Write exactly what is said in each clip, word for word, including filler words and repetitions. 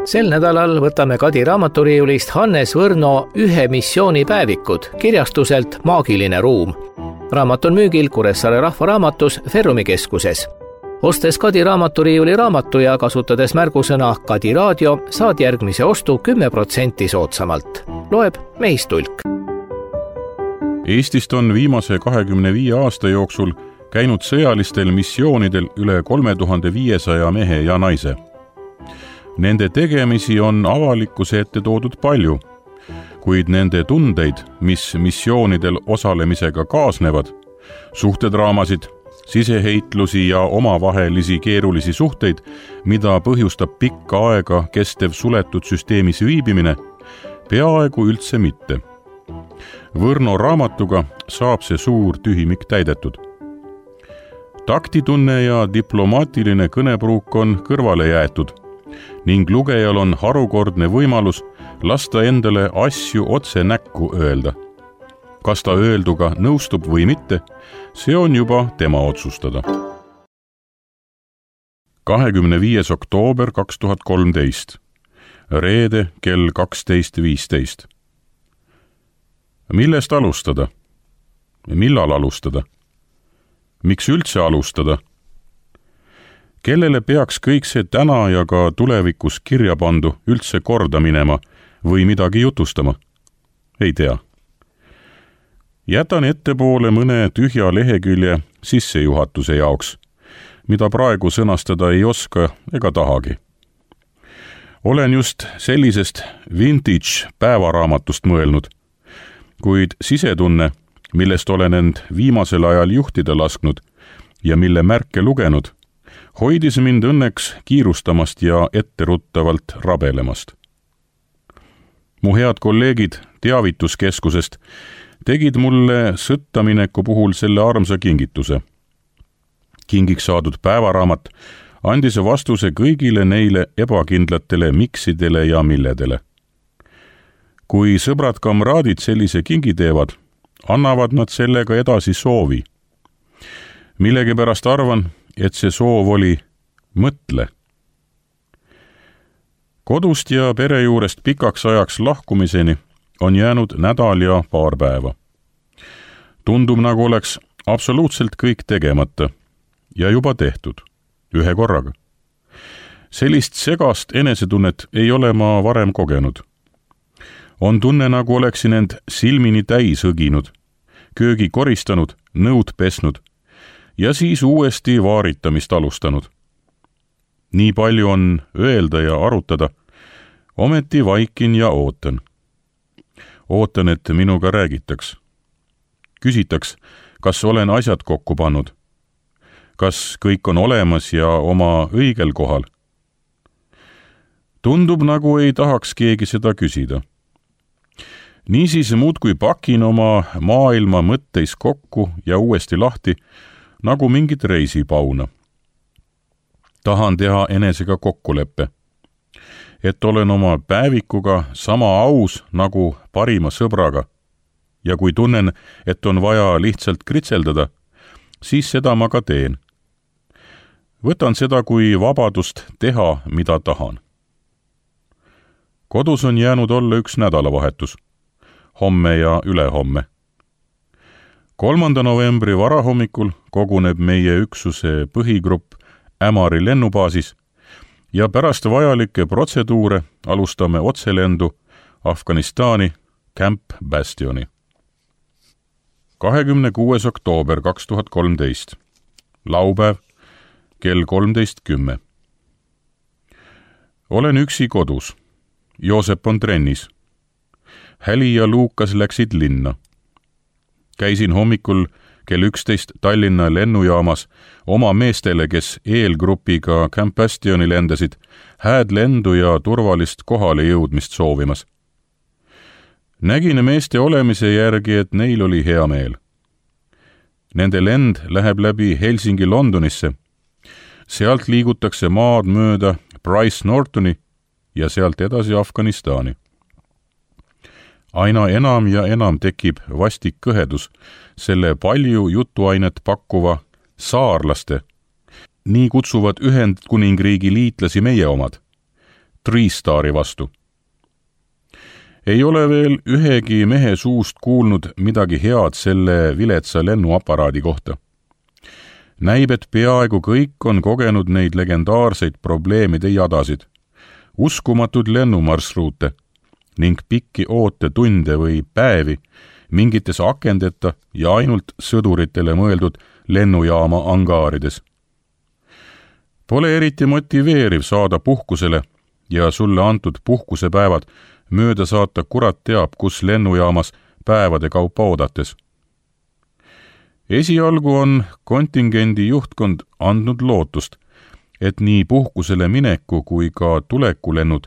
Sel nädalal võtame Kadi raamaturiiulist Hannes Võrno Ühe missiooni päevikud kirjastuselt Maagiline ruum. Raamat on müügil Kuressaare Rahvaraamatus Ferrumi keskuses. Ostes Kadi raamaturiiuli raamatu ja kasutades märgusõna Kadi raadio, saad järgmise ostu kümme protsenti soodsamalt. Loeb Meis Tulk. Eestist on viimase kahekümne viie aasta jooksul käinud sõjalistel missioonidel üle kolme tuhande viiesaja mehe ja naise. Nende tegemisi on avalikkuse ette toodud palju, kuid nende tundeid, mis missioonidel osalemisega kaasnevad, suhtedraamasid, siseheitlusi ja omavahelisi keerulisi suhteid, mida põhjustab pikka aega kestev suletud süsteemis viibimine, peaaegu üldse mitte. Võrno raamatuga saab see suur tühimik täidetud. Taktitunne ja diplomaatiline kõnepruuk on kõrvale jäetud ning lugejal on harukordne võimalus lasta endale asju otse näkku öelda. Kas ta öelduga nõustub või mitte, see on juba tema otsustada. kahekümne viies oktoober kaks tuhat kolmteist. Reede kell kaksteist viisteist. Millest alustada? Millal alustada? Miks üldse alustada? Kellele peaks kõik see täna ja ka tulevikus kirja pandu üldse korda minema või midagi jutustama? Ei tea. Jätan ettepoole mõne tühja lehekülje sissejuhatuse jaoks, mida praegu sõnastada ei oska ega tahagi. Olen just sellisest vintage päevaraamatust mõelnud, kuid sisetunne, millest olen end viimasel ajal juhtida lasknud ja mille märke lugenud, hoidis mind õnneks kiirustamast ja etteruttavalt rabelemast. Mu head kolleegid teavituskeskusest tegid mulle sõttamineku puhul selle armsa kingituse. Kingiks saadud päevaraamat andis vastuse kõigile neile ebakindlatele miksidele ja milledele. Kui sõbrad kamraadid sellise kingi teevad, annavad nad sellega edasi soovi. Millegipärast arvan, et see soov oli mõtle. Kodust ja pere juurest pikaks ajaks lahkumiseni on jäänud nädal ja paar päeva. Tundub, nagu oleks absoluutselt kõik tegemata ja juba tehtud, ühe korraga. Sellist segast enesetunnet ei ole ma varem kogenud. On tunne, nagu oleksin end silmini täis õginud, köögi koristanud, nõud pesnud ja siis uuesti vaaritamist alustanud. Nii palju on öelda ja arutada, ometi vaikin ja ootan. Ootan, et minuga räägitaks. Küsitaks, kas olen asjad kokku pannud. Kas kõik on olemas ja oma õigel kohal. Tundub, nagu ei tahaks keegi seda küsida. Niisiis muudkui pakin oma maailma mõtteis kokku ja uuesti lahti, nagu mingit reisipauna. Tahan teha enesega kokkuleppe, et olen oma päevikuga sama aus nagu parima sõbraga ja kui tunnen, et on vaja lihtsalt kritseldada, siis seda ma ka teen. Võtan seda kui vabadust teha, mida tahan. Kodus on jäänud olla üks nädalavahetus, homme ja ülehomme. kolmanda novembri varahommikul koguneb meie üksuse põhigrupp Ämari lennubaasis ja pärast vajalikke protseduure alustame otselendu Afganistani Camp Bastioni. kahekümne kuues oktoober kaks tuhat kolmteist. Laupäev kell kolmteist kümme. Olen üksi kodus. Joosep on trennis. Häli ja Luukas läksid linna. Käisin hommikul kell üksteist Tallinna lennujaamas oma meestele, kes eelgrupiga Camp Bastioni lendasid, hääd lendu ja turvalist kohale jõudmist soovimas. Nägin meeste olemise järgi, et neil oli hea meel. Nende lend läheb läbi Helsingi Londonisse. Sealt liigutakse maad mööda Bryce Nortoni ja sealt edasi Afganistani. Aina enam ja enam tekib vastik kõhedus selle palju jutuainet pakkuva saarlaste, nii kutsuvad Ühendkuningriigi liitlasi meie omad, Tri-Stari vastu. Ei ole veel ühegi mehe suust kuulnud midagi head selle viletsa lennuaparaadi kohta. Näib, et peaaegu kõik on kogenud neid legendaarseid probleemide jadasid, uskumatud lennumarsruute ning pikki ootetunde või päevi mingites akendeta ja ainult sõduritele mõeldud lennujaama angaarides. Pole eriti motiveeriv saada puhkusele ja sulle antud puhkusepäevad mööda saata kurat teab, kus lennujaamas päevade kaupa oodates. Esialgu on kontingendi juhtkond andnud lootust, et nii puhkusele mineku kui ka tulekulennud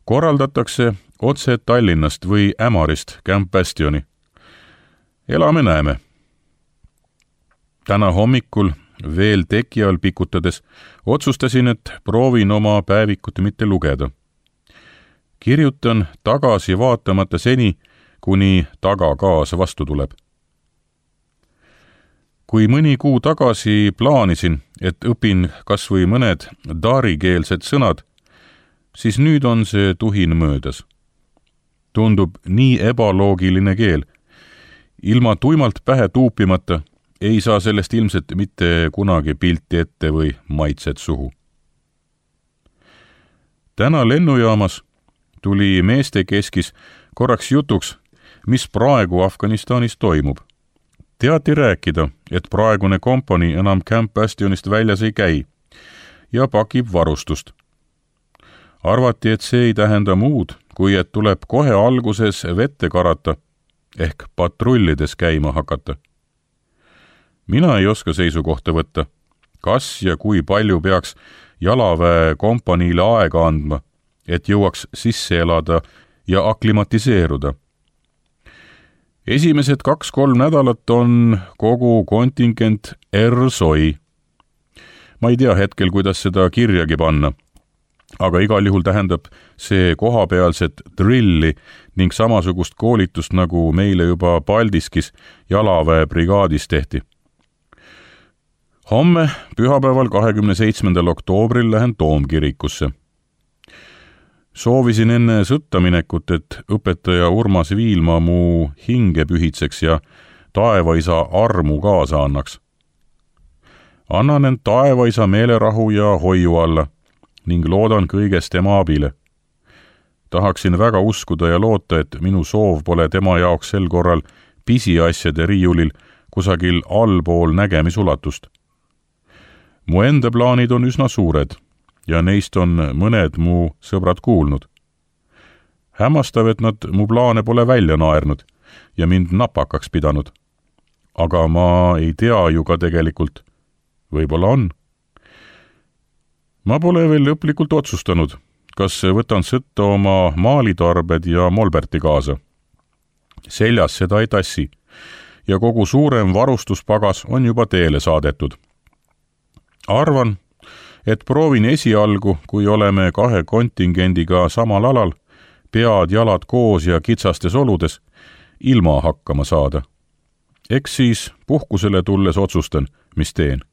korraldatakse otse Tallinnast või Ämarist Camp Bastioni. Elame näeme. Täna hommikul veel teki all pikutades otsustasin, et proovin oma päevikut mitte lugeda. Kirjutan tagasi vaatamata seni, kuni tagakaas vastu tuleb. Kui mõni kuu tagasi plaanisin, et õpin kas või mõned darikeelsed sõnad, siis nüüd on see tuhin möödas. Tundub nii ebaloogiline keel. Ilma tuimalt pähe tuupimata ei saa sellest ilmselt mitte kunagi pilti ette või maitset suhu. Täna lennujaamas tuli meeste keskis korraks jutuks, mis praegu Afganistanis toimub. Teati rääkida, et praegune kompanii enam Camp Bastionist väljas ei käi ja pakib varustust. Arvati, et see ei tähenda muud, kui et tuleb kohe alguses vette karata ehk patrullides käima hakata. Mina ei oska seisukohta võtta, kas ja kui palju peaks jalaväe kompaniile aega andma, et jõuaks sisse elada ja aklimatiseeruda. Esimesed kaks-kolm nädalat on kogu kontingent R-soi. Ma ei tea hetkel, kuidas seda kirjagi panna, aga igal juhul tähendab see kohapealset drilli ning samasugust koolitust, nagu meile juba Paldiskis jalaväebrigaadis tehti. Homme, pühapäeval kahekümne seitsmendal oktoobril lähen Toomkirikusse. Soovisin enne sõtta minekut, et õpetaja Urmas Viilma mu hinge pühitseks ja taevaisa armu kaasa annaks. Annan end taevaisa meelerahu ja hoiu alla ning loodan kõigest tema abile. Tahaksin väga uskuda ja loota, et minu soov pole tema jaoks sel korral pisiasjade riiulil kusagil allpool nägemisulatust. Mu enda plaanid on üsna suured ja neist on mõned mu sõbrad kuulnud. Hämmastav, et nad mu plaane pole välja naernud ja mind napakaks pidanud. Aga ma ei tea ju ka tegelikult. Võib-olla on. Ma pole veel lõplikult otsustanud, kas võtan sõtta oma maalitarbed ja molberti kaasa. Seljas seda ei tassi ja kogu suurem varustuspagas on juba teele saadetud. Arvan, et proovin esialgu, kui oleme kahe kontingendiga samal alal, pead jalad koos ja kitsastes oludes, ilma hakkama saada. Eks siis puhkusele tulles otsustan, mis teen.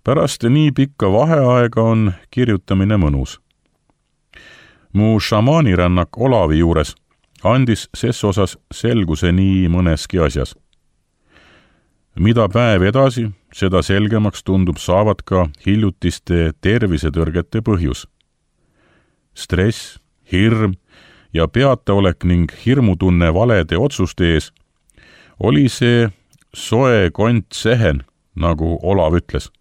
Pärast nii pikka vaheaega on kirjutamine mõnus. Mu šamaanirännak Olavi juures andis ses osas selguse nii mõneski asjas. Mida päev edasi, seda selgemaks tundub saavat ka hiljutiste tervisetõrgete põhjus. Stress, hirm ja peataolek ning hirmutunne valede otsuste ees oli see soe kont sehen, nagu Olav ütles.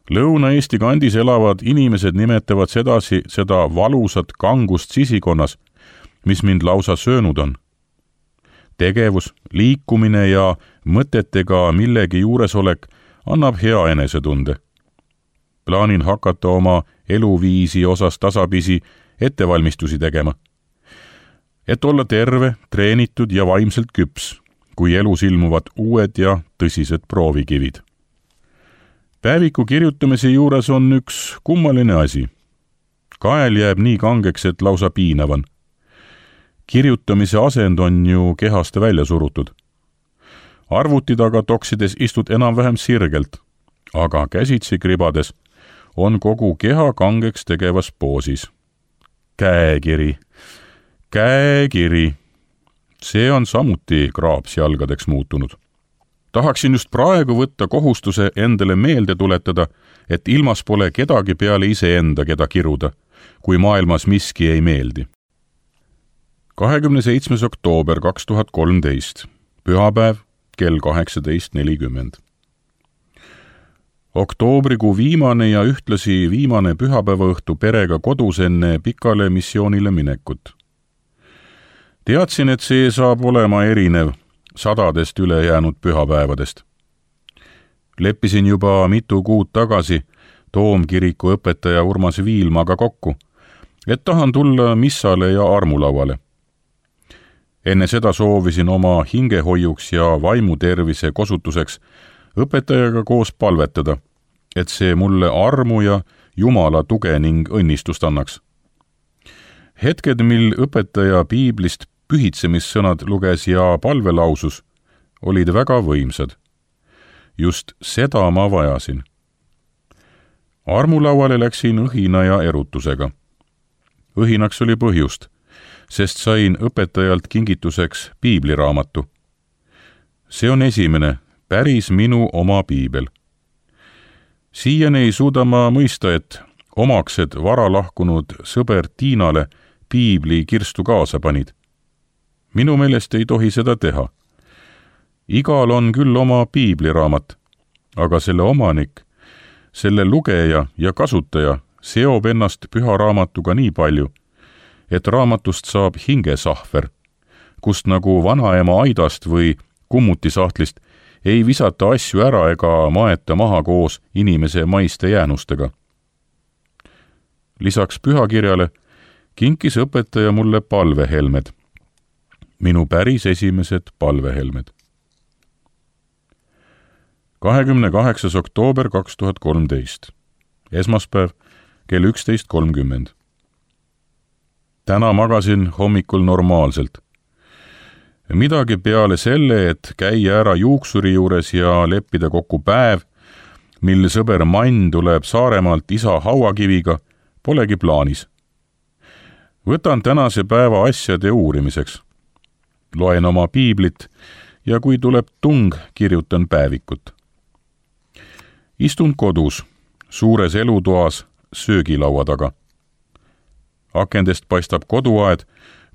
Lõuna-Eesti kandis elavad inimesed nimetavad sedasi seda valusat kangust sisikonnas, mis mind lausa söönud on. Tegevus, liikumine ja mõtetega millegi juuresolek annab hea enesetunde. Plaanin hakata oma eluviisi osas tasapisi ettevalmistusi tegema. Et olla terve, treenitud ja vaimselt küps, kui elus ilmuvad uued ja tõsised proovikivid. Päeviku kirjutamise juures on üks kummaline asi. Kael jääb nii kangeks, et lausa piinavan. Kirjutamise asend on ju kehast välja surutud. Arvuti taga toksides istud enam-vähem sirgelt, aga käsitsi kribades on kogu keha kangeks tegevas poosis. Käekiri, käekiri. See on samuti kraapsjalgadeks muutunud. Tahaksin just praegu võtta kohustuse endale meelde tuletada, et ilmas pole kedagi peale iseenda, keda kiruda, kui maailmas miski ei meeldi. kahekümne seitsmes oktoober kaks tuhat kolmteist, pühapäev, kell kaheksateist nelikümmend. Oktoobrikuu viimane ja ühtlasi viimane pühapäevaõhtu perega kodus enne pikale missioonile minekut. Teadsin, et see saab olema erinev sadadest ülejäänud pühapäevadest. Leppisin juba mitu kuud tagasi Toomkiriku õpetaja Urmas Viilmaga kokku, et tahan tulla missale ja armulauale. Enne seda soovisin oma hingehoiuks ja vaimutervise kosutuseks õpetajaga koos palvetada, et see mulle armu ja Jumala tuge ning õnnistust annaks. Hetked, mil õpetaja piiblist pühitsemissõnad luges ja palvelausus, olid väga võimsad. Just seda ma vajasin. Armulauale läksin õhina ja erutusega. Õhinaks oli põhjust, sest sain õpetajalt kingituseks piibliraamatu. See on esimene, päris minu oma piibel. Siiani ei suuda ma mõista, et omaksed vara lahkunud sõber Tiinale piibli kirstu kaasa panid. Minu meelest ei tohi seda teha. Igal on küll oma piibliraamat, aga selle omanik, selle lugeja ja kasutaja seob ennast püha raamatuga nii palju, et raamatust saab hingesahver, kust nagu vanaema aidast või kummutisahtlist ei visata asju ära ega maeta maha koos inimese maiste jäänustega. Lisaks pühakirjale kinkis õpetaja mulle palvehelmed. Minu päris esimesed palvehelmed. kahekümne kaheksas oktoober kaks tuhat kolmteist. Esmaspäev, kell üksteist kolmkümmend. Täna magasin hommikul normaalselt. Midagi peale selle, et käia ära juuksuri juures ja leppida kokku päev, mil sõber Mann tuleb Saaremaalt isa hauakiviga, polegi plaanis. Võtan tänase päeva asjade uurimiseks. Loen oma piiblit ja kui tuleb tung, kirjutan päevikut. Istun kodus, suures elutoas, söögilaua taga. Akendest paistab koduaed,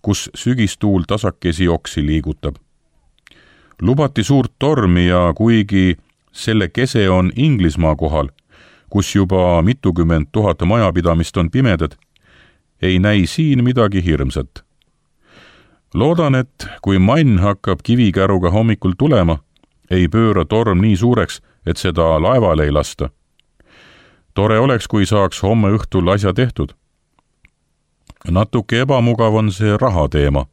kus sügistuul tasakesi oksi liigutab. Lubati suurt tormi ja kuigi selle kese on Inglismaa kohal, kus juba mitukümmend tuhat majapidamist on pimedad, ei näi siin midagi hirmsat. Loodan, et kui Mann hakkab kivikäruga hommikul tulema, ei pööra torm nii suureks, et seda laevale ei lasta. Tore oleks, kui saaks homme õhtul asja tehtud. Natuke ebamugav on see rahateema.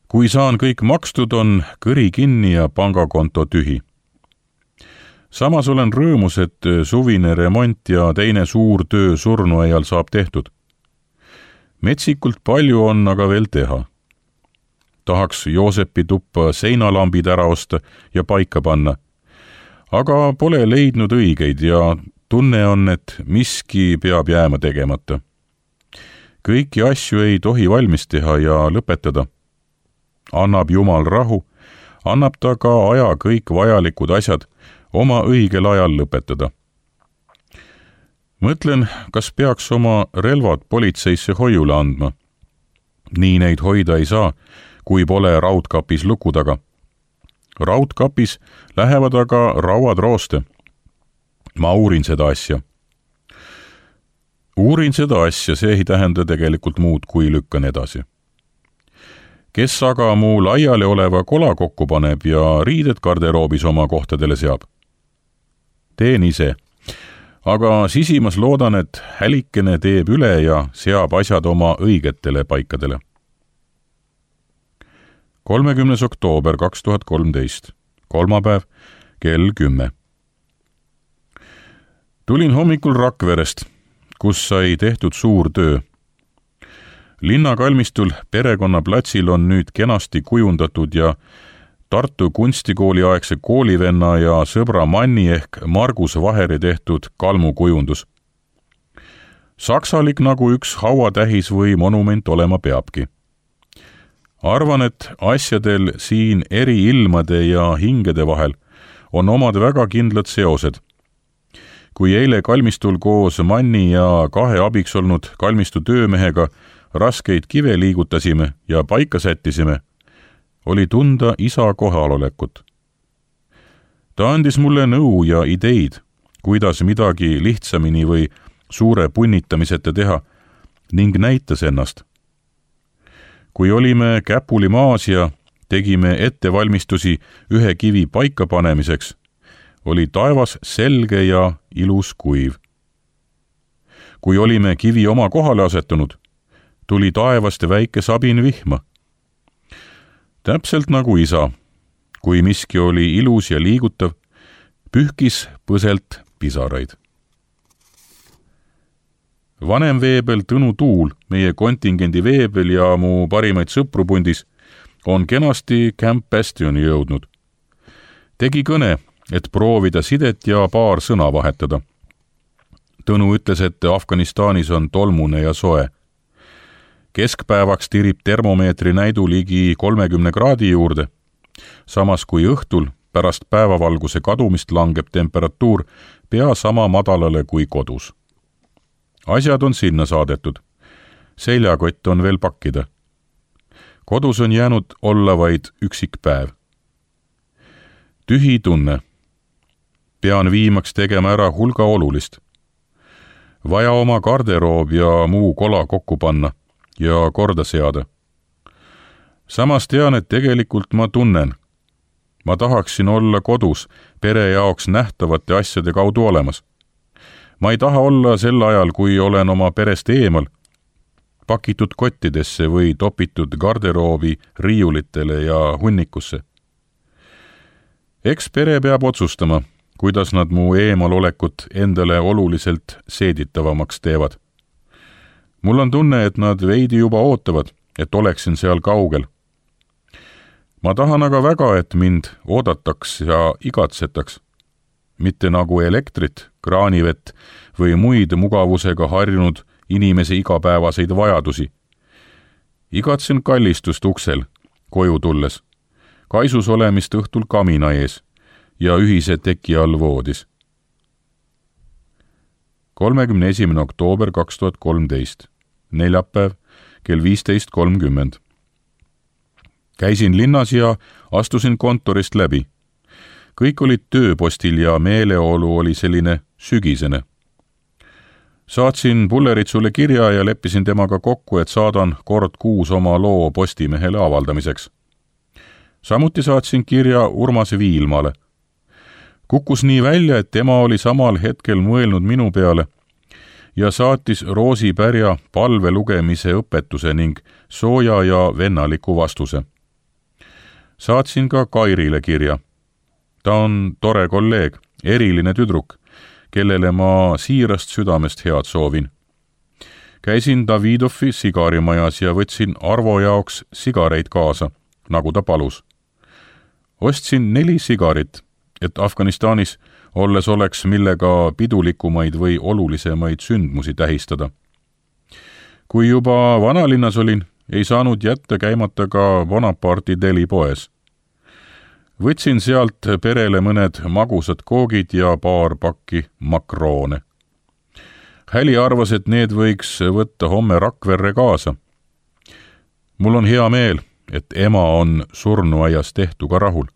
Kui saan kõik makstud, on kõri kinni ja pangakonto tühi. Samas olen rõõmus, et suvine remont ja teine suur töö surnuaial saab tehtud. Metsikult palju on aga veel teha. Tahaks Joosepi tuppa seinalambid ära osta ja paika panna, aga pole leidnud õigeid ja tunne on, et miski peab jääma tegemata. Kõiki asju ei tohi valmis teha ja lõpetada. Annab Jumal rahu, annab ta ka aja kõik vajalikud asjad oma õigel ajal lõpetada. Mõtlen, kas peaks oma relvad politseisse hoiule andma. Nii neid hoida ei saa, kui pole raudkapis luku taga. Raudkapis lähevad aga rauad rooste. Ma uurin seda asja. Uurin seda asja, see ei tähenda tegelikult muud, kui lükkan edasi. Kes aga mu laiali oleva kola kokku paneb ja riided garderoobis oma kohtadele seab? Teen ise. Aga sisimas loodan, et hälikene teeb üle ja seab asjad oma õigetele paikadele. kolmekümnes oktoober kaks tuhat kolmteist. Kolmapäev, kell kümme. Tulin hommikul Rakverest, kus sai tehtud suur töö. Linnakalmistul perekonnaplatsil on nüüd kenasti kujundatud ja Tartu kunstikooli aegse koolivenna ja sõbra Manni ehk Margus Vaheri tehtud kalmukujundus. Saksalik nagu üks hauatähis või monument olema peabki. Arvan, et asjadel siin eri ilmade ja hingede vahel on omad väga kindlad seosed. Kui eile kalmistul koos Manni ja kahe abiks olnud kalmistu töömehega raskeid kive liigutasime ja paika sättisime, oli tunda isa kohalolekut. Ta andis mulle nõu ja ideid, kuidas midagi lihtsamini või suure punnitamiseta teha ning näitas ennast. Kui olime käpuli maas ja tegime ettevalmistusi ühe kivi paika panemiseks, oli taevas selge ja ilus kuiv. Kui olime kivi oma kohale asetunud, tuli taevast väike sabin vihma. Täpselt nagu isa, kui miski oli ilus ja liigutav, pühkis põselt pisaraid. Vanem veebel Tõnu Tuul, meie kontingendi veebel ja mu parimaid sõprupundis, on kenasti Camp Bastioni jõudnud. Tegi kõne, et proovida sidet ja paar sõna vahetada. Tõnu ütles, et Afganistanis on tolmune ja soe. Keskpäevaks tirib termomeetri näidu ligi kolmekümne kraadi juurde, samas kui õhtul pärast päevavalguse kadumist langeb temperatuur pea sama madalale kui kodus. Asjad on sinna saadetud. Seljakott on veel pakkida. Kodus on jäänud olla vaid üksik päev. Tühi tunne. Pean viimaks tegema ära hulga olulist. Vaja oma garderoob ja muu kola kokku panna ja korda seada. Samas tean, et tegelikult ma tunnen. Ma tahaksin olla kodus pere jaoks nähtavate asjade kaudu olemas. Ma ei taha olla sel ajal, kui olen oma perest eemal, pakitud kottidesse või topitud garderoobi riiulitele ja hunnikusse. Eks pere peab otsustama, kuidas nad mu eemalolekut endale oluliselt seeditavamaks teevad. Mul on tunne, et nad veidi juba ootavad, et oleksin seal kaugel. Ma tahan aga väga, et mind oodataks ja igatsetaks. Mitte nagu elektrit, kraanivett või muid mugavusega harjunud inimese igapäevaseid vajadusi. Igatsen kallistust uksel, koju tulles, kaisus olemist õhtul kamina ees ja ühise teki all voodis. kolmekümne esimene oktoober kaks tuhat kolmteist, neljapäev, kell viisteist kolmkümmend. Käisin linnas ja astusin kontorist läbi. Kõik olid tööpostil ja meeleolu oli selline sügisene. Saatsin Pulleritsule kirja ja leppisin temaga kokku, et saadan kord kuus oma loo Postimehele avaldamiseks. Samuti saatsin kirja Urmas Viilmale. Kukkus nii välja, et tema oli samal hetkel mõelnud minu peale ja saatis Roosi Pärja palve lugemise õpetuse ning sooja ja vennaliku vastuse. Saatsin ka Kairile kirja. Ta on tore kolleeg, eriline tüdruk, kellele ma siirast südamest head soovin. Käisin Davidovi sigarimajas ja võtsin Arvo jaoks sigareid kaasa, nagu ta palus. Ostsin neli sigarit, et Afganistanis olles oleks millega pidulikumaid või olulisemaid sündmusi tähistada. Kui juba vanalinnas olin, ei saanud jätta käimata ka Bonaparti deli poes. Võtsin sealt perele mõned magusad koogid ja paar pakki makroone. Häli arvas, et need võiks võtta homme Rakverre kaasa. Mul on hea meel, et ema on surnuaias tehtuga rahul.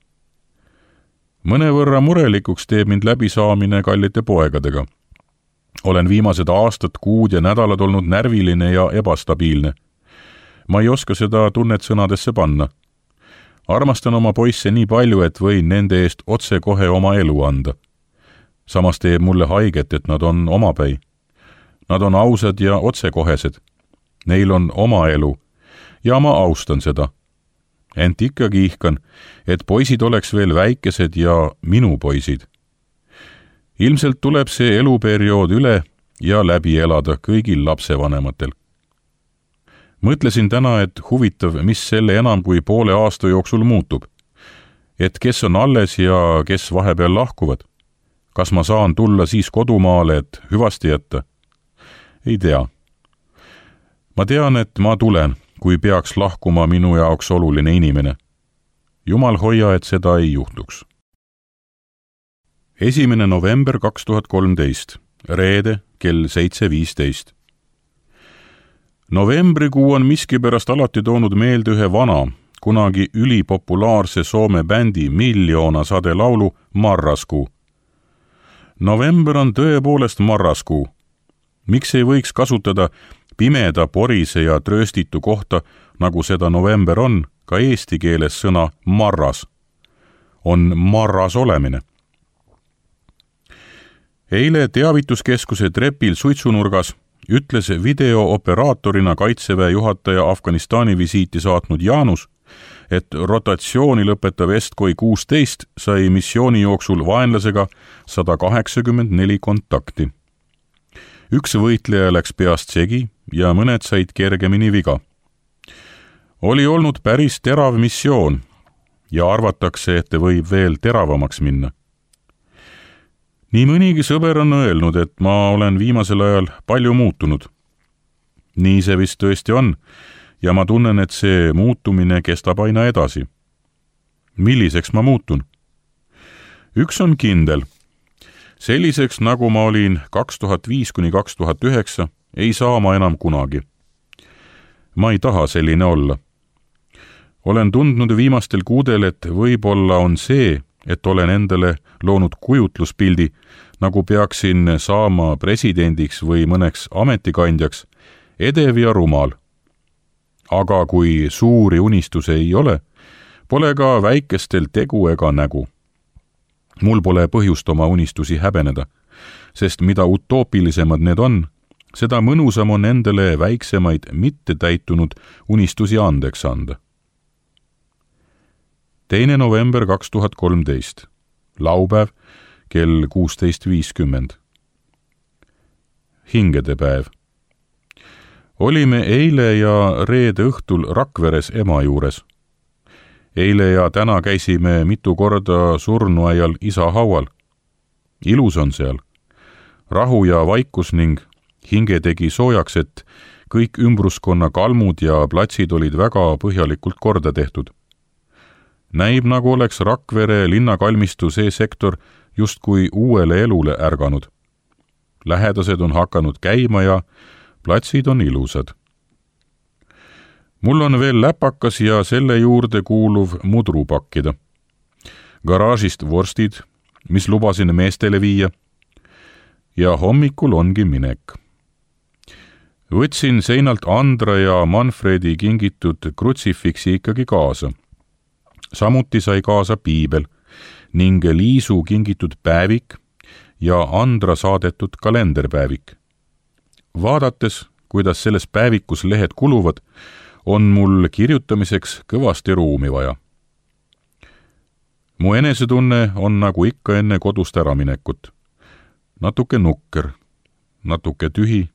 Mõnevõrra murelikuks teeb mind läbisaamine kallite poegadega. Olen viimased aastad, kuud ja nädalad olnud närviline ja ebastabiilne. Ma ei oska seda tunnet sõnadesse panna. Armastan oma poisse nii palju, et võin nende eest otse kohe oma elu anda. Samas teeb mulle haiget, et nad on omapäi. Nad on ausad ja otsekohesed. Neil on oma elu ja ma austan seda. Ent ikkagi ihkan, et poisid oleks veel väikesed ja minu poisid. Ilmselt tuleb see eluperiood üle ja läbi elada kõigil lapsevanematel. Mõtlesin täna, et huvitav, mis selle enam kui poole aasta jooksul muutub. et kes on alles ja kes vahepeal lahkuvad. Kas ma saan tulla siis kodumaale, et hüvasti jätta? Ei tea. Ma tean, et ma tulen, kui peaks lahkuma minu jaoks oluline inimene. Jumal hoia, et seda ei juhtuks. esimene november kaks tuhat kolmteist, reede kell seitse viisteist. Novembrikuu on miskipärast alati toonud meelde ühe vana, kunagi ülipopulaarse Soome bändi Miljoona sade laulu Marraskuu. November on tõepoolest marraskuu. Miks ei võiks kasutada pimeda, porise ja trööstitu kohta, nagu seda november on, ka eesti keeles sõna marras? On marras olemine. Eile teavituskeskuse trepil suitsunurgas ütles videooperaatorina Kaitseväe juhataja Afganistani visiiti saatnud Jaanus, et rotatsiooni lõpetav Estkoi kuusteist sai missiooni jooksul vaenlasega sada kaheksakümmend neli kontakti. Üks võitleja läks peast segi ja mõned said kergemini viga. Oli olnud päris terav missioon ja arvatakse, et võib veel teravamaks minna. Nii mõnigi sõber on öelnud, et ma olen viimasel ajal palju muutunud. Nii see vist tõesti on ja ma tunnen, et see muutumine kestab aina edasi. Milliseks ma muutun? Üks on kindel. Selliseks, nagu ma olin kaks tuhat viis kuni kaks tuhat üheksa, ei saa ma enam kunagi. Ma ei taha selline olla. Olen tundnud viimastel kuudel, et võib-olla on see, et olen endale loonud kujutluspildi, nagu peaksin saama presidendiks või mõneks ametikandjaks, edev ja rumal. Aga kui suuri unistuse ei ole, pole ka väikestel tegu ega nägu. Mul pole põhjust oma unistusi häbeneda, sest mida utoopilisemad need on, seda mõnusam on endale väiksemaid mitte täitunud unistusi andeks anda. teine november kaks tuhat kolmteist, laupäev kell kuusteist viiskümmend. Hingedepäev. Olime eile ja reede õhtul Rakveres ema juures. Eile ja täna käisime mitu korda surnuaial isa haual. Ilus on seal. Rahu ja vaikus ning hinge tegi soojaks, et kõik ümbruskonna kalmud ja platsid olid väga põhjalikult korda tehtud. Näib, nagu oleks Rakvere linnakalmistu see sektor justkui uuele elule ärganud. Lähedased on hakanud käima ja platsid on ilusad. Mul on veel läpakas ja selle juurde kuuluv mudru pakkida. Garaažist vorstid, mis lubasin meestele viia. Ja hommikul ongi minek. Võtsin seinalt Andra ja Manfredi kingitud krutsifiksi ikkagi kaasa. Samuti sai kaasa piibel ning Liisu kingitud päevik ja Andra saadetud kalenderpäevik. Vaadates, kuidas selles päevikus lehed kuluvad, on mul kirjutamiseks kõvasti ruumi vaja. Mu enesetunne on nagu ikka enne kodust äraminekut. Natuke nukker, natuke tühi,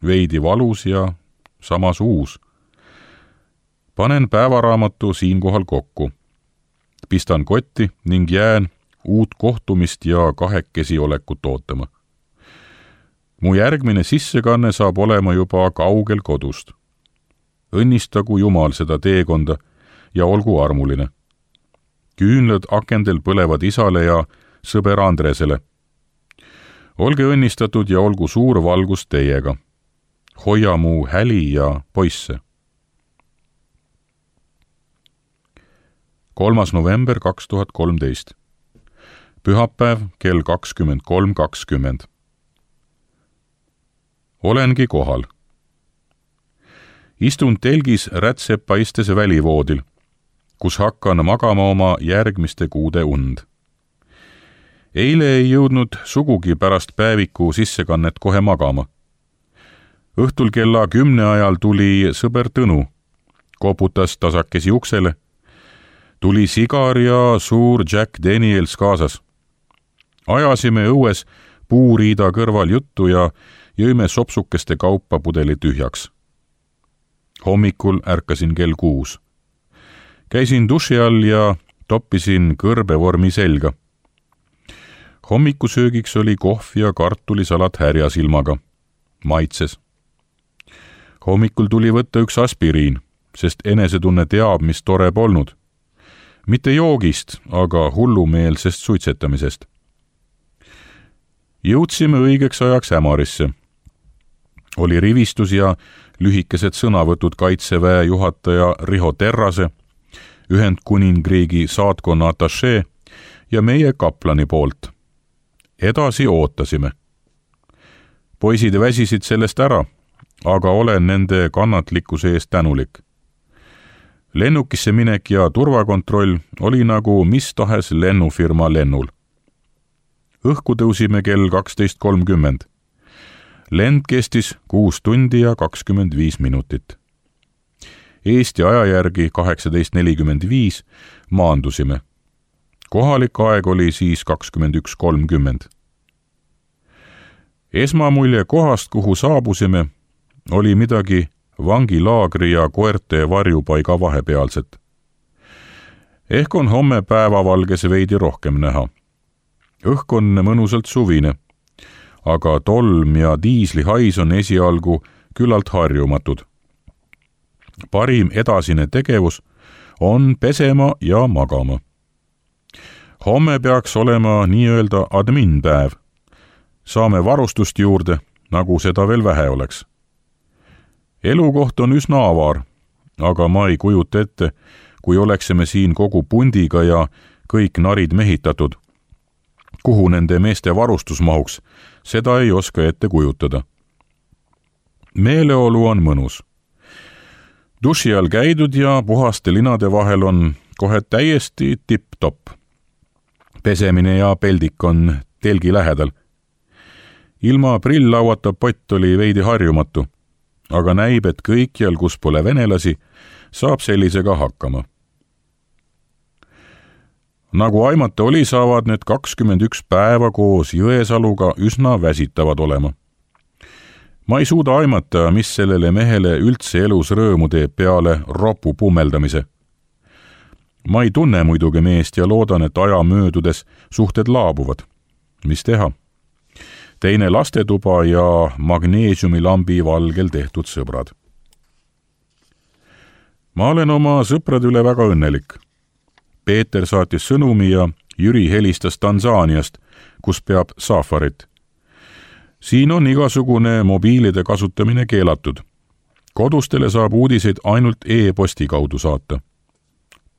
veidi valus ja samas uus. Panen päevaraamatu siinkohal kokku. Pistan kotti ning jään uut kohtumist ja kahekesi olekut ootama. Mu järgmine sissekanne saab olema juba kaugel kodust. Õnnistagu Jumal seda teekonda ja olgu armuline. Küünlad akendel põlevad isale ja sõber Andresele. Olge õnnistatud ja olgu suur valgus teiega. Hoia mu häli ja poisse. kolmas november kaks tuhat kolmteist. Pühapäev kell kakskümmend kolm kakskümmend. Olengi kohal. Istun telgis rätsepaistes välivoodil, kus hakkan magama oma järgmiste kuude und. Eile ei jõudnud sugugi pärast päeviku sissekannet kohe magama. Õhtul kella kümne ajal tuli sõber Tõnu, koputas tasakesi uksele, tuli sigar ja suur Jack Daniels kaasas. Ajasime õues puuriida kõrval juttu ja jõime sopsukeste kaupa pudeli tühjaks. Hommikul ärkasin kell kuus. Käisin duši all ja toppisin kõrbevormi selga. Hommikusöögiks oli kohv ja kartulisalat härjasilmaga. Maitses. Hommikul tuli võtta üks aspiriin, sest enesetunne teab, mis tore polnud. Mitte joogist, aga hullumeelsest suitsetamisest. Jõudsime õigeks ajaks Ämarisse. Oli rivistus ja lühikesed sõnavõtud kaitseväe juhataja Riho Terrase, Ühendkuningriigi saatkonna atašee ja meie kaplani poolt. Edasi ootasime. Poisid väsisid sellest ära, aga olen nende kannatlikkuse eest tänulik. Lennukisse minek ja turvakontroll oli nagu mis tahes lennufirma lennul. Õhku tõusime kell kaksteist kolmkümmend. Lend kestis kuus tundi ja kakskümmend viis minutit. Eesti aja järgi kaheksateist nelikümmend viis maandusime. Kohalik aeg oli siis kakskümmend üks kolmkümmend. Esmamulje kohast, kuhu saabusime, oli midagi vangilaagri ja koerte varjupaiga vahepealset. Ehk on homme päevavalges veidi rohkem näha. Õhk on mõnusalt suvine, aga tolm ja diislihais on esialgu küllalt harjumatud. Parim edasine tegevus on pesema ja magama. Homme peaks olema nii-öelda adminpäev. Saame varustust juurde, nagu seda veel vähe oleks. Elukoht on üsna avar, aga ma ei kujuta ette, kui oleksime siin kogu pundiga ja kõik narid mehitatud. Kuhu nende meeste varustus mahuks, seda ei oska ette kujutada. Meeleolu on mõnus. Duši all käidud ja puhaste linade vahel on kohe täiesti tipp-topp. Pesemine ja peldik on telgi lähedal. Ilma prilllauata pott oli veidi harjumatu, aga näib, et kõikjal, kus pole venelasi, saab sellisega hakkama. Nagu aimata oli, saavad need kakskümmend üks päeva koos Jõesaluga üsna väsitavad olema. Ma ei suuda aimata, mis sellele mehele üldse elus rõõmu teeb peale ropu pummeldamise. Ma ei tunne muidugi meest ja loodan, et aja möödudes suhted laabuvad. Mis teha? Teine lastetuba ja magneesiumilambi valgel tehtud sõbrad. Ma olen oma sõprade üle väga õnnelik. Peeter saatis sõnumi ja Jüri helistas Tansaaniast, kus peab safarit. Siin on igasugune mobiilide kasutamine keelatud. Kodustele saab uudiseid ainult e-posti kaudu saata.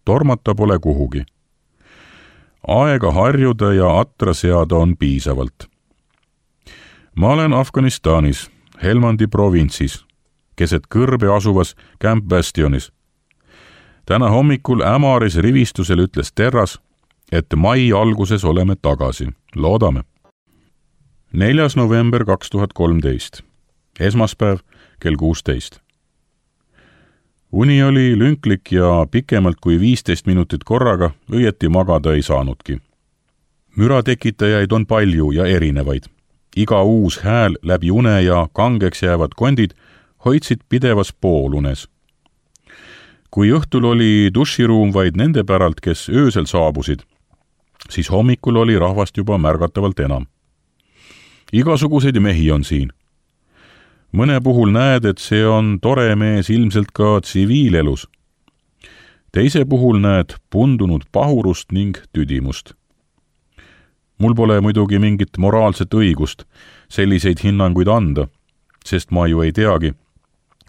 Tormata pole kuhugi. Aega harjuda ja atra seada on piisavalt. Ma olen Afganistanis, Helmandi provintsis, keset kõrbe asuvas Camp Bastionis. Täna hommikul Ämaris rivistusel ütles Terras, et mai alguses oleme tagasi. Loodame. neljas november kaks tuhat kolmteist. Esmaspäev kell kuusteist. Uni oli lünklik ja pikemalt kui viisteist minutit korraga õieti magada ei saanudki. Müratekitajaid on palju ja erinevaid. Iga uus hääl läbi une ja kangeks jäävad kondid hoidsid pidevas poolunes. Kui õhtul oli duširuum vaid nende päralt, kes öösel saabusid, siis hommikul oli rahvast juba märgatavalt enam. Igasuguseid mehi on siin. Mõne puhul näed, et see on tore mees ilmselt ka tsiviilelus. Teise puhul näed pundunud pahurust ning tüdimust. Mul pole muidugi mingit moraalset õigust selliseid hinnanguid anda, sest ma ju ei teagi,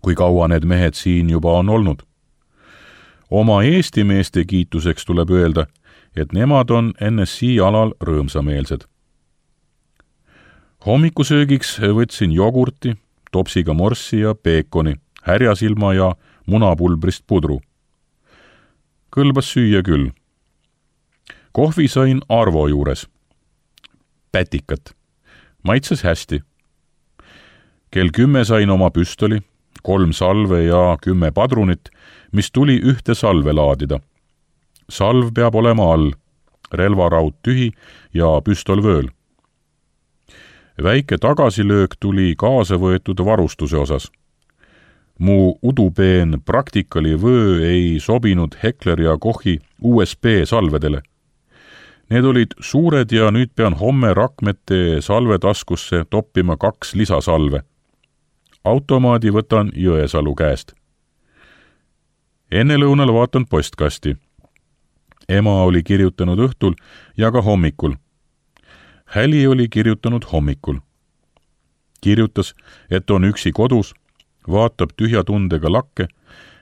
kui kaua need mehed siin juba on olnud. Oma Eesti meeste kiituseks tuleb öelda, et nemad on N S I alal rõõmsameelsed. Hommikusöögiks võtsin jogurti, topsiga morssi ja peekoni, härjasilma ja munapulbrist pudru. Kõlbas süüa küll. Kohvi sain Arvo juures. Pätikat. Maitses hästi. Kell kümme sain oma püstoli, kolm salve ja kümme padrunit, mis tuli ühte salve laadida. Salv peab olema all, relvaraud tühi ja püstol vööl. Väike tagasilöök tuli kaasa võetud varustuse osas. mu udupeen Practicali vöö ei sobinud Heckler ja Kochi U S B salvedele. Need olid suured ja nüüd pean homme rakmete salvetaskusse toppima kaks lisasalve. Automaadi võtan Jõesalu käest. Enne lõunal vaatan postkasti. Ema oli kirjutanud õhtul ja ka hommikul. Häli oli kirjutanud hommikul. Kirjutas, et on üksi kodus, vaatab tühja tundega lakke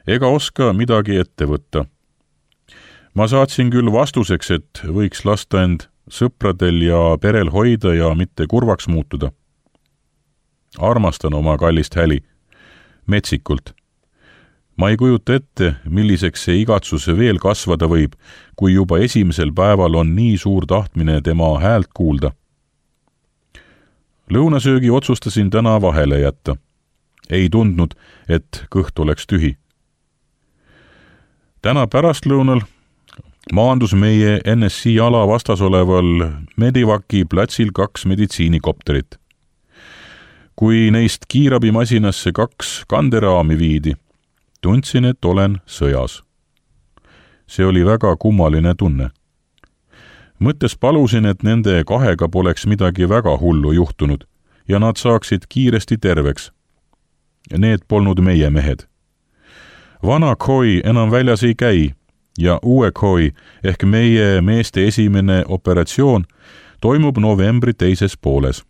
ega oska midagi ette võtta. Ma saatsin küll vastuseks, et võiks lasta end sõpradel ja perel hoida ja mitte kurvaks muutuda. Armastan oma kallist Häli. Metsikult. Ma ei kujuta ette, milliseks see igatsus veel kasvada võib, kui juba esimesel päeval on nii suur tahtmine tema häält kuulda. Lõunasöögi otsustasin täna vahele jätta. Ei tundnud, et kõht oleks tühi. Täna pärastlõunal maandus meie N S C ala vastas oleval Medivaki platsil kaks meditsiinikopterit. Kui neist kiirabimasinasse kaks kanderaami viidi, tundsin, et olen sõjas. See oli väga kummaline tunne. Mõttes palusin, et nende kahega poleks midagi väga hullu juhtunud ja nad saaksid kiiresti terveks. Need polnud meie mehed. Vana Koi enam väljas ei käi ja uue Koi ehk meie meeste esimene operatsioon toimub novembri teises pooles.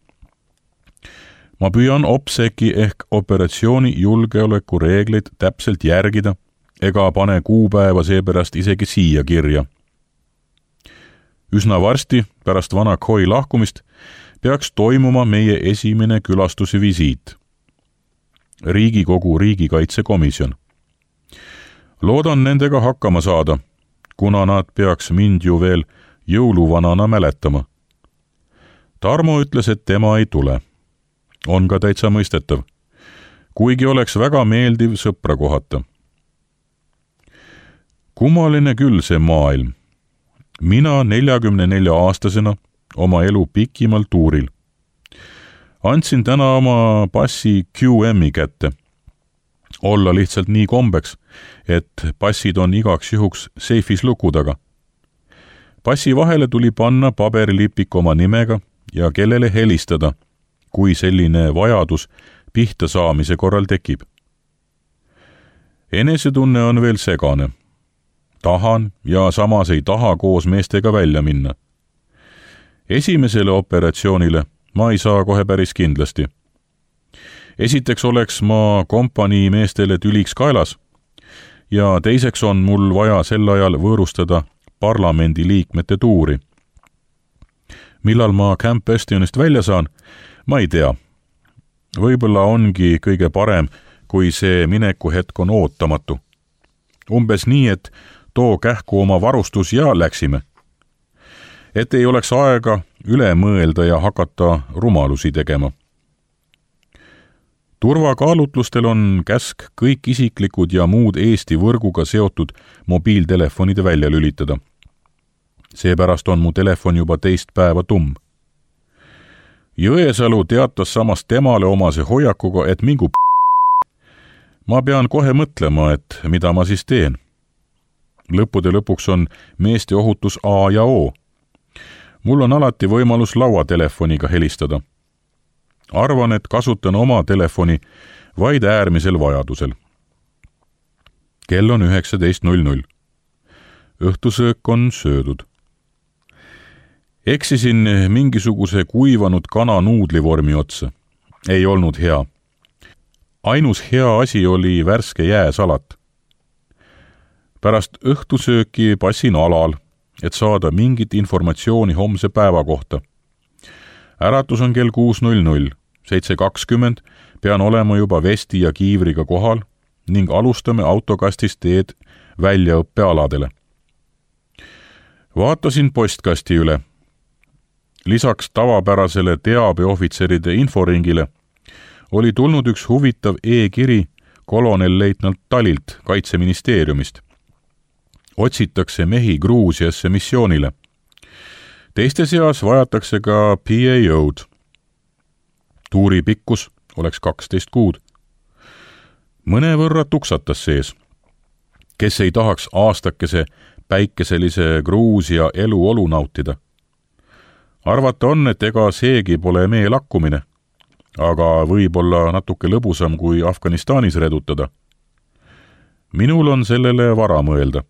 Ma püüan OPSEC-i ehk operatsiooni julgeoleku reegleid täpselt järgida ega pane kuupäeva seepärast isegi siia kirja. Üsna varsti pärast vana Koi lahkumist peaks toimuma meie esimene külastusvisiit. Riigikogu riigikaitsekomisjon. Loodan nendega hakkama saada, kuna nad peaks mind ju veel jõuluvanana mäletama. Tarmo ütles, et tema ei tule. On ka täitsa mõistetav, kuigi oleks väga meeldiv sõpra kohata. Kummaline küll see maailm. Mina neljakümne nelja aastasena oma elu pikimal tuuril. Andsin täna oma passi Q M-i kätte. Olla lihtsalt nii kombeks, et passid on igaks juhuks seifis luku taga. Passi vahele tuli panna paberilipik oma nimega ja kellele helistada, kui selline vajadus pihta saamise korral tekib. Enesetunne on veel segane. Tahan ja samas ei taha koos meestega välja minna. Esimesele operatsioonile ma ei saa kohe päris kindlasti. Esiteks oleks ma kompanii meestele tüliks kaelas ja teiseks on mul vaja sel ajal võõrustada parlamendi liikmete tuuri. Millal ma Camp Bastionist välja saan, ma ei tea. Võib-olla ongi kõige parem, kui see minekuhetk on ootamatu. Umbes nii, et too kähku oma varustus ja läksime. Et ei oleks aega üle mõelda ja hakata rumalusi tegema. Turvakaalutlustel on käsk kõik isiklikud ja muud Eesti võrguga seotud mobiiltelefonide välja lülitada. Seepärast on mu telefon juba teist päeva tumm. Jõesalu teatas samas temale omase hoiakuga, et mingu p***. Ma pean kohe mõtlema, et mida ma siis teen. Lõppude lõpuks on meeste ohutus A ja O. Mul on alati võimalus lauatelefoniga helistada. Arvan, et kasutan oma telefoni vaid äärmisel vajadusel. Kell on üheksateist null null. Õhtusöök on söödud. Eksisin mingisuguse kuivanud kana nuudlivormi otsa. Ei olnud hea. Ainus hea asi oli värske jääsalat. Pärast õhtusööki passin alal, et saada mingit informatsiooni homse päeva kohta. Äratus on kell kuus null null, seitse kakskümmend, pean olema juba vesti ja kiivriga kohal ning alustame autokastist teed väljaõppealadele. Vaatasin postkasti üle. Lisaks tavapärasele teabeohvitseride inforingile oli tulnud üks huvitav e-kiri kolonelleitnant Talilt Kaitseministeeriumist. Otsitakse mehi Gruusiasse missioonile. Teiste seas vajatakse ka P A O-d. Tuuri pikkus oleks kaksteist kuud. mõnevõrra tuksatas sees. Kes ei tahaks aastakese päikeselise Gruusia eluolu nautida? Arvata on, et ega seegi pole mee lakkumine, aga võib-olla natuke lõbusam kui Afganistanis redutada. Minul on sellele vara mõelda.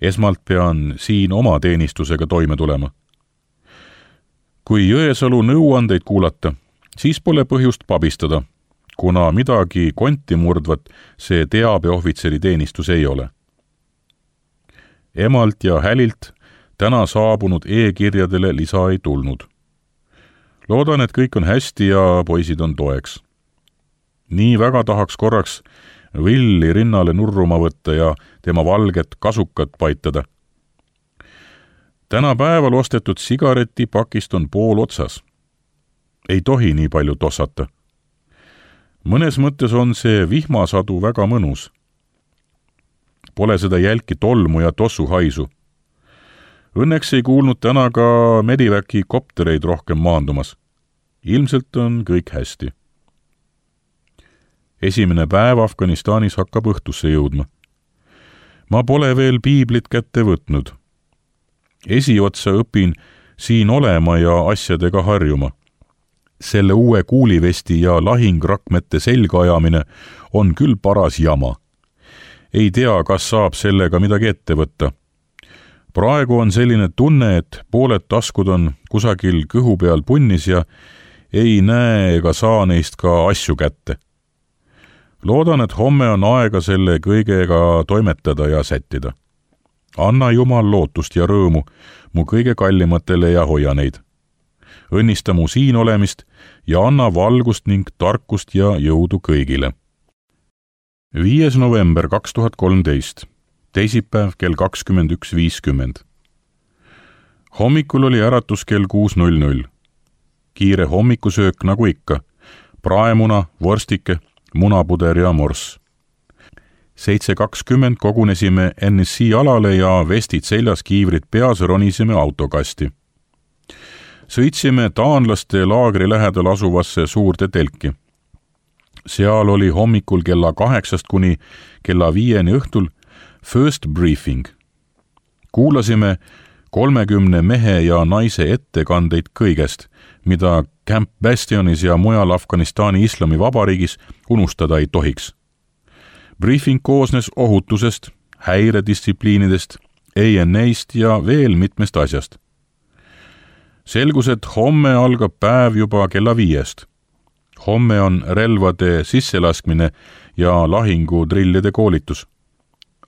Esmalt pean siin oma teenistusega toime tulema. Kui Jõesalu nõuandeid kuulata, siis pole põhjust pabistada, kuna midagi konti murdvat see teabeohvitseri teenistus ei ole. Emalt ja Hälilt täna saabunud e-kirjadele lisa ei tulnud. Loodan, et kõik on hästi ja poisid on toeks. Nii väga tahaks korraks Villi rinnale nurruma võtta ja tema valget kasukat paitada. Täna päeval ostetud sigaretipakist on pool otsas. Ei tohi nii palju tossata. Mõnes mõttes on see vihmasadu väga mõnus. Pole seda jälki tolmu ja tossu haisu. Õnneks ei kuulnud täna ka Mediväki koptereid rohkem maandumas. Ilmselt on kõik hästi. Esimene päev Afganistanis hakkab õhtusse jõudma. Ma pole veel piiblit kätte võtnud. Esiotsa õpin siin olema ja asjadega harjuma. Selle uue kuulivesti ja lahingrakmete selga ajamine on küll paras jama. Ei tea, kas saab sellega midagi ette võtta. Praegu on selline tunne, et pooled taskud on kusagil kõhu peal punnis ja ei näe ega saa neist ka asju kätte. Loodan, et homme on aega selle kõigega toimetada ja sättida. Anna Jumal lootust ja rõõmu mu kõige kallimatele ja hoia neid. Õnnista mu siin olemist ja anna valgust ning tarkust ja jõudu kõigile. viies november kaks tuhat kolmteist, teisipäev kell kakskümmend üks viiskümmend. Hommikul oli äratus kell kuus null null. Kiire hommikusöök nagu ikka. Praemuna, vorstike, munapuder ja morss. seitse kakskümmend kogunesime N S C alale ja vestid seljas, kiivrid peas ronisime autokasti. Sõitsime taanlaste laagri lähedal asuvasse suurde telki. Seal oli hommikul kella kaheksast kuni kella viieni õhtul first briefing. Kuulasime kolmekümne mehe ja naise ettekandeid kõigest, mida Camp Bastionis ja mujal Afganistani Islamivabariigis unustada ei tohiks. Briefing koosnes ohutusest, häiredistsipliinidest, A N A-st ja veel mitmest asjast. Selgus, et homme algab päev juba kella viiest. Homme on relvade sisselaskmine ja lahingutrillide koolitus.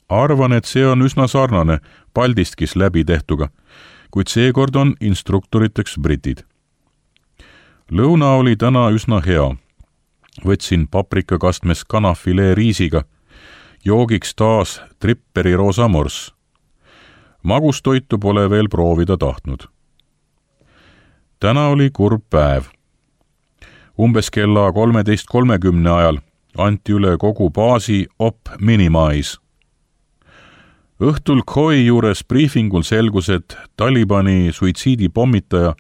Arvan, et see on üsna sarnane Paldiskis läbi tehtuga, kuid seekord on instruktoriteks britid. Lõuna oli täna üsna hea. Võtsin paprikakastmes kanafilee riisiga, joogiks taas tripperi roosa morss. Magustoitu pole veel proovida tahtnud. Täna oli kurb päev. Umbes kella kolmeteist kolmekümne ajal anti üle kogu baasi op minimize. Õhtul Khoi juures briefingul selgus, et Talibani suitsiidipommitaja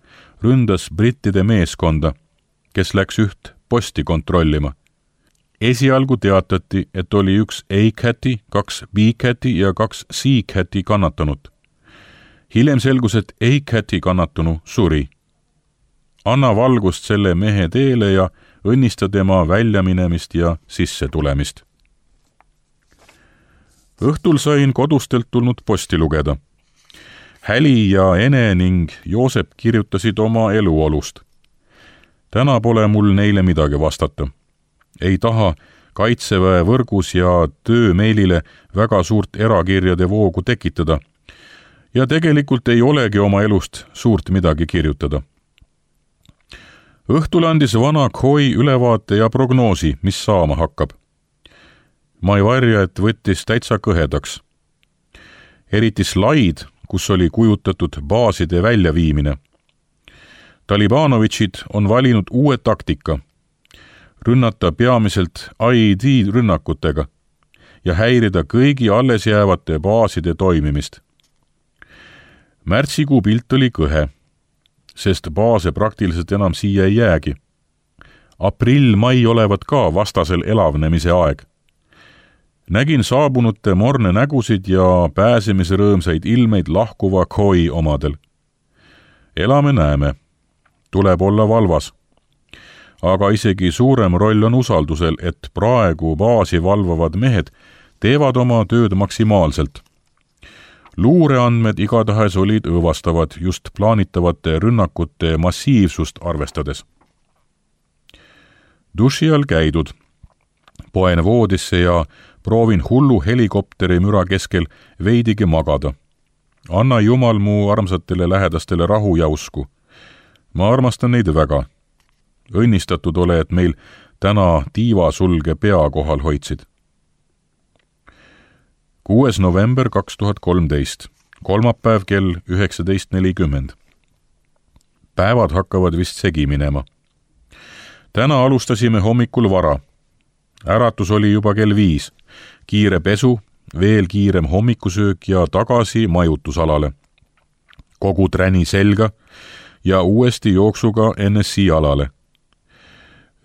ründas brittide meeskonda, kes läks üht posti kontrollima. Esialgu teatati, et oli üks A-Cati, kaks B-Cati ja kaks C-Cati kannatanut. Hiljem selgus, et A-Cati kannatanu suri. Anna valgust selle mehe teele ja õnnista tema väljaminemist ja sisse tulemist. Õhtul sain kodustelt tulnud posti lugeda. Häli ja Ene ning Joosep kirjutasid oma eluolust. Täna pole mul neile midagi vastata. Ei taha kaitseväe võrgus ja töömeilile väga suurt erakirjade voogu tekitada. Ja tegelikult ei olegi oma elust suurt midagi kirjutada. Õhtul andis vana Khoi ülevaate ja prognoosi, mis saama hakkab. Ma ei varja, et võttis täitsa kõhedaks. Eriti slaid, kus oli kujutatud baaside väljaviimine. Talibanovitšid on valinud uue taktika. Rünnata peamiselt I E D rünnakutega ja häirida kõigi alles jäävate baaside toimimist. Märtsikuu pilt oli kõhe, sest baase praktiliselt enam siia ei jäägi. aprill-mai olevat ka vastasel elavnemise aeg. Nägin saabunute morne nägusid ja pääsemise rõõmsaid ilmeid lahkuva Khoi omadel. Elame näeme. Tuleb olla valvas. Aga isegi suurem roll on usaldusel, et praegu baasi valvavad mehed teevad oma tööd maksimaalselt. Luureandmed igatahes olid õõvastavad just plaanitavate rünnakute massiivsust arvestades. Duši all käidud. Poen voodisse ja proovin hullu helikopteri müra keskel veidigi magada. Anna Jumal mu armsatele lähedastele rahu ja usku. Ma armastan neid väga. Õnnistatud ole, et meil täna tiivasulge pea kohal hoidsid. kuues november kaks tuhat kolmteist, kolmapäev kell üheksateist nelikümmend. Päevad hakkavad vist segi minema. Täna alustasime hommikul vara. Äratus oli juba kell viis. Kiire pesu, veel kiirem hommikusöök ja tagasi majutusalale. Kogu träni selga ja uuesti jooksuga N S I alale.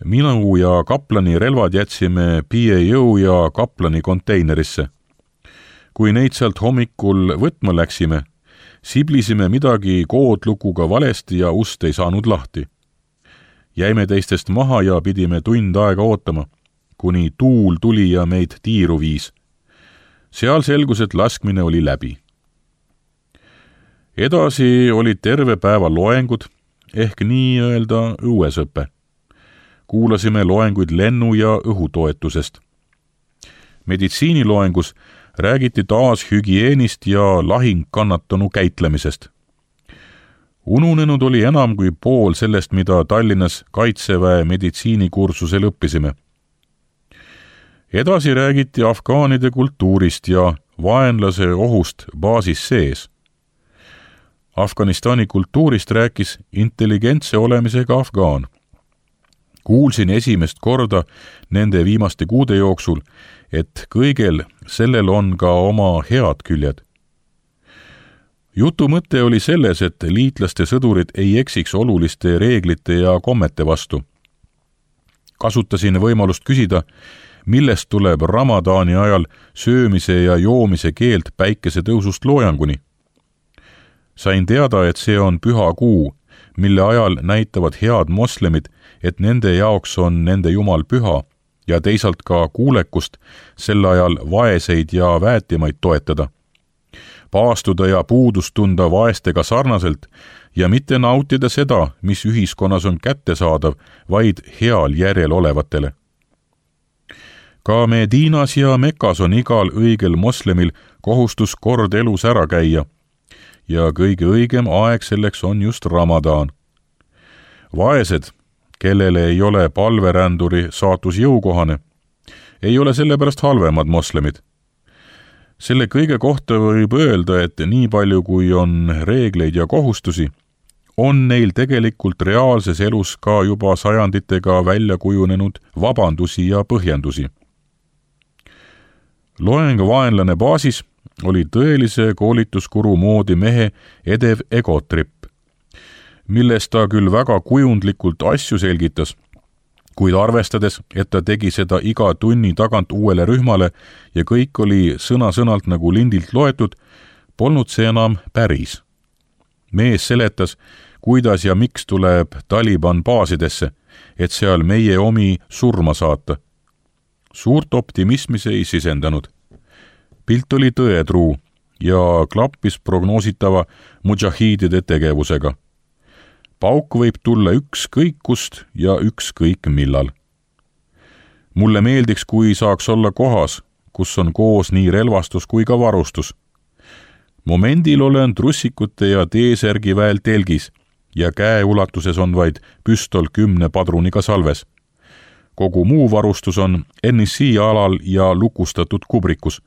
Minu ja kaplani relvad jätsime P A O ja kaplani konteinerisse. Kui neid sealt hommikul võtma läksime, siblisime midagi koodlukuga valesti ja ust ei saanud lahti. Jäime teistest maha ja pidime tund aega ootama, kuni tuul tuli ja meid tiiru viis. Seal selgus, et laskmine oli läbi. Edasi olid terve päeva loengud, ehk nii-öelda õuesõpe. Kuulasime loenguid lennu- ja õhutoetusest. Meditsiiniloengus räägiti taas hügieenist ja lahingkannatanu käitlemisest. Ununenud oli enam kui pool sellest, mida Tallinnas Kaitseväe meditsiinikursusel õppisime. Edasi räägiti afgaanide kultuurist ja vaenlase ohust baasis sees. Afganistani kultuurist rääkis intelligentse olemisega afgaan. Kuulsin esimest korda nende viimaste kuude jooksul, et kõigel sellel on ka oma head küljed. Jutu mõte oli selles, et liitlaste sõdurid ei eksiks oluliste reeglite ja kommete vastu. Kasutasin võimalust küsida, millest tuleb Ramadaani ajal söömise ja joomise keeld päikese tõusust loojanguni. Sain teada, et see on püha kuu, mille ajal näitavad head moslemid, et nende jaoks on nende jumal püha ja teisalt ka kuulekust sel ajal vaeseid ja väetimaid toetada. Paastuda ja puudust tunda vaestega sarnaselt ja mitte nautida seda, mis ühiskonnas on kättesaadav, vaid heal järjel olevatele. Ka Medinas ja Mekas on igal õigel moslemil kohustus kord elus ära käia ja kõige õigem aeg selleks on just Ramadaan. Vaesed, kellele ei ole palveränduri saatus jõukohane, ei ole sellepärast halvemad moslemid. Selle kõige kohta võib öelda, et nii palju kui on reegleid ja kohustusi, on neil tegelikult reaalses elus ka juba sajanditega välja kujunenud vabandusi ja põhjendusi. Loeng vaenlane baasis oli tõelise koolituskuru moodi mehe edev egotripp, milles ta küll väga kujundlikult asju selgitas, kuid arvestades, et ta tegi seda iga tunni tagant uuele rühmale ja kõik oli sõna-sõnalt nagu lindilt loetud, polnud see enam päris. Mees seletas, kuidas ja miks tuleb Taliban baasidesse, et seal meie omi surma saata. Suurt optimismi see ei sisendanud. Pilt oli tõetruu ja klappis prognoositava mudžahiidide tegevusega. Pauk võib tulla ükskõik kust ja ükskõik millal. Mulle meeldiks, kui saaks olla kohas, kus on koos nii relvastus kui ka varustus. Momendil olen trussikute ja T-särgi väel telgis ja käeulatuses on vaid püstol kümne padruniga salves. Kogu muu varustus on N S I alal ja lukustatud kubrikus,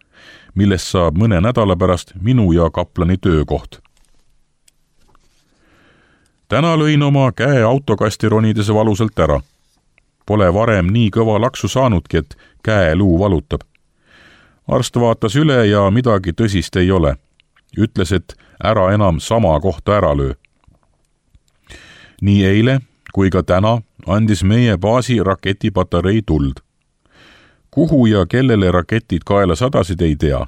millest saab mõne nädala pärast minu ja kaplani töökoht. Täna lõin oma käe autokasti ronides valusalt ära. Pole varem nii kõva laksu saanudki, et käeluu valutab. Arst vaatas üle ja midagi tõsist ei ole. Ütles, et ära enam sama kohta ära löö. Nii eile kui ka täna andis meie baasi raketipatarei tuld. Kuhu ja kellele raketid kaela sadasid, ei tea.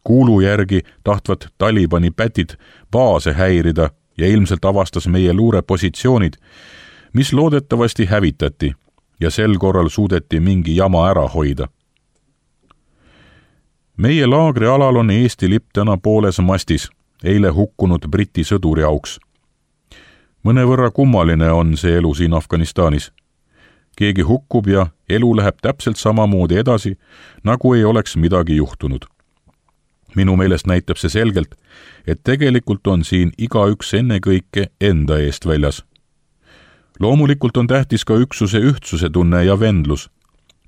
Kuulu järgi tahtvad Talibani pätid baase häirida ja ilmselt avastas meie luurepositsioonid, mis loodetavasti hävitati ja sel korral suudeti mingi jama ära hoida. Meie laagri alal on Eesti lipp täna pooles mastis, eile hukkunud Briti sõduri auks. Mõnevõrra kummaline on see elu siin Afganistanis. Keegi hukkub ja elu läheb täpselt samamoodi edasi, nagu ei oleks midagi juhtunud. Minu meelest näitab see selgelt, et tegelikult on siin igaüks ennekõike enda eest väljas. Loomulikult on tähtis ka üksuse ühtsuse tunne ja vendlus,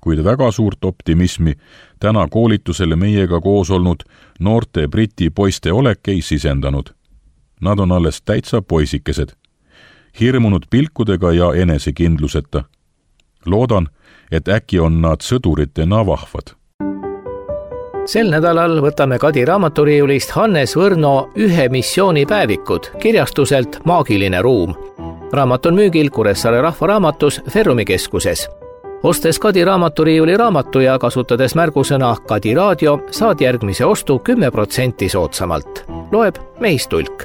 kuid väga suurt optimismi täna koolitusele meiega koos olnud noorte Briti poiste olek ei sisendanud. Nad on alles täitsa poisikesed, hirmunud pilkudega ja enesekindluseta. Loodan, et äkki on nad sõduritena vahvad. Sel nädalal võtame Kadi raamaturiiulist Hannes Võrno Ühe missiooni päevikud kirjastuselt Maagiline ruum. Raamat on müügil Kuressaare Rahvaraamatus Ferrumi keskuses. Ostes Kadi raamaturiiuli raamatu ja kasutades märgusõna Kadi raadio, saad järgmise ostu kümme protsenti soodsamalt. Loeb Meistulk.